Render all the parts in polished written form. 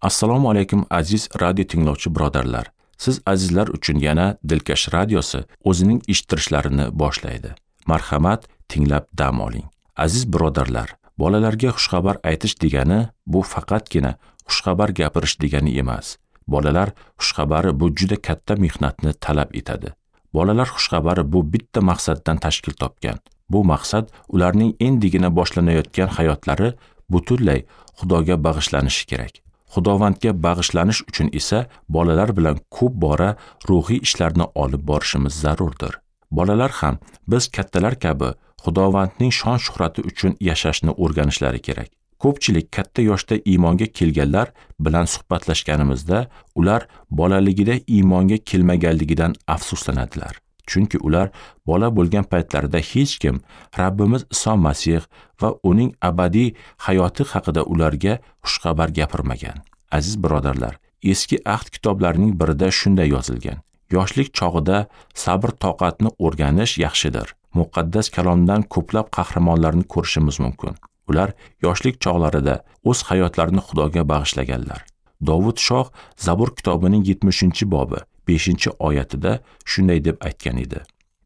Assalomu alaykum aziz radio tinglovchi birodarlar. Siz azizlar uchun yana Dilkash radiosi o'zining eshittirishlarini boshlaydi. Marhamat, tinglab dam oling. Aziz birodarlar, bolalarga xushxabar aytish degani bu faqatgina xushxabar gapirish degani emas. Bolalar xushxabari bu juda katta mehnatni talab etadi. Bolalar xushxabari bu bitta maqsaddan tashkil topgan. Bu maqsad ularning endigina boshlanayotgan hayotlari butunlay Xudoga bag'ishlanishi kerak. Xudovandga bag'ishlanish uchun esa bolalar bilan ko'p bora ruhiy ishlarni olib borishimiz zarurdir. Bolalar ham biz kattalar kabi Xudovandning shon-shuhrati uchun yashashni o'rganishlari kerak. Ko'pchilik katta yoshda iymonga kelganlar bilan suhbatlashganimizda ular bolaligida iymonga kelmaganligidan afsuslanadilar. Chunki ular bola bo'lgan paytlarida hech kim Rabbimiz Iso Masih va uning abadiy hayoti haqida ularga xushxabar gapirmagan. Aziz birodarlar, eski ahd kitoblarining birida shunday yozilgan: Yoshlik chog'ida sabr-toqatni o'rganish yaxshidir. Muqaddas kalomdan ko'plab qahramonlarni ko'rishimiz mumkin. Ular yoshlik chog'larida o'z hayotlarini Xudoga bag'ishlaganlar. Dovud shoh Zabur kitobining 70-bobi 5-oyatida shunday deb aytgan edi: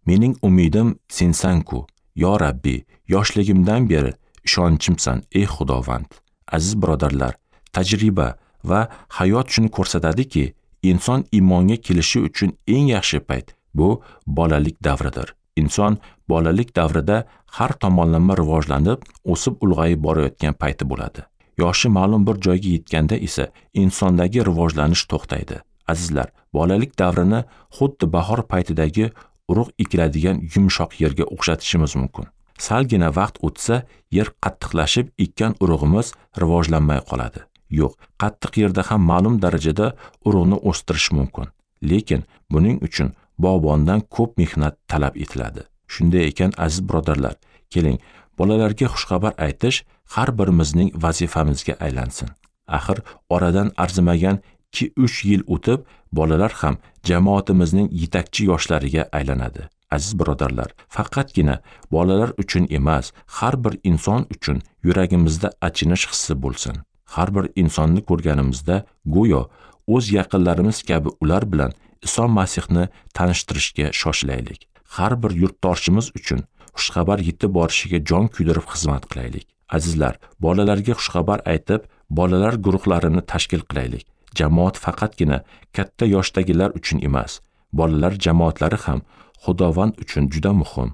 Mening umidim sensan-ku, yo Rabbi, yoshligimdan beri ishonchimsan, ey Xudovand. Aziz birodarlar, tajriba va hayot shuni ko'rsatadiki, inson iymonga kelishi uchun eng yaxshi payt bu bolalik davridir. Inson bolalik davrida har tomonlama rivojlanib, o'sib ulg'ayib borayotgan payti bo'ladi. Yoshi ma'lum bir joyga yetganda esa insondagi rivojlanish to'xtaydi. Azizlar, bolalik davrini xuddi bahor paytidagi urug' ekiladigan yumshoq yerga o'xshatishimiz mumkin. Salgina vaqt o'tsa, yer qattiqlashib, ekkan urug'imiz rivojlanmay qoladi. Yo'q, qattiq yerda ham ma'lum darajada urug'ni o'stirish mumkin. Lekin buning uchun bog'bondan ko'p mehnat talab etiladi. Shunday ekan, aziz birodarlar, keling, bolalarga xushxabar aytish har birimizning vazifamizga aylansin. Axir oradan arzimagan 2-3 yil o'tib, bolalar ham jamoatimizning yetakchi yoshlariga aylanadi. Aziz birodarlar, faqatgina bolalar uchun emas, har bir inson uchun yuragimizda achinish hissi bo'lsin. Har bir insonni ko'rganimizda go'yo o'z yaqinlarimiz kabi ular bilan Iso Masihni tanishtirishga shoshilaylik. Har bir yurtdoshimiz uchun xushxabar yetib borishiga jon kuydirib xizmat qilaylik. Azizlar, bolalarga xushxabar aytib, bolalar guruhlarini tashkil qilaylik. Jamoat faqatgina katta yoshdagilar uchun emas, bolalar jamoatlari ham Xudovand uchun juda muhim.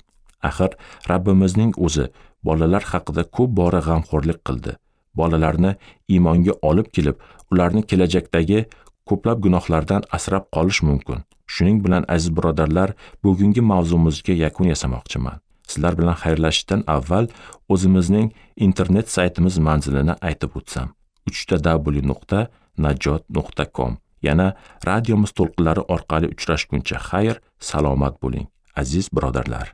Axir Rabbimizning o'zi bolalar haqida ko'p bora g'amxo'rlik qildi. Bolalarni iymonga olib kelib, ularni kelajakdagi ko'plab gunohlardan asrab qolish mumkin. Shuning bilan aziz birodarlar, bugungi mavzumizga yakun yasamoqchiman. Sizlar bilan xayrlashishdan avval o'zimizning internet saytimiz manzilini aytib o'tsam: www.najot.com. Yana radiomiz to'lqinlari orqali uchrashguncha xayr, salomat bo'ling, aziz birodarlar.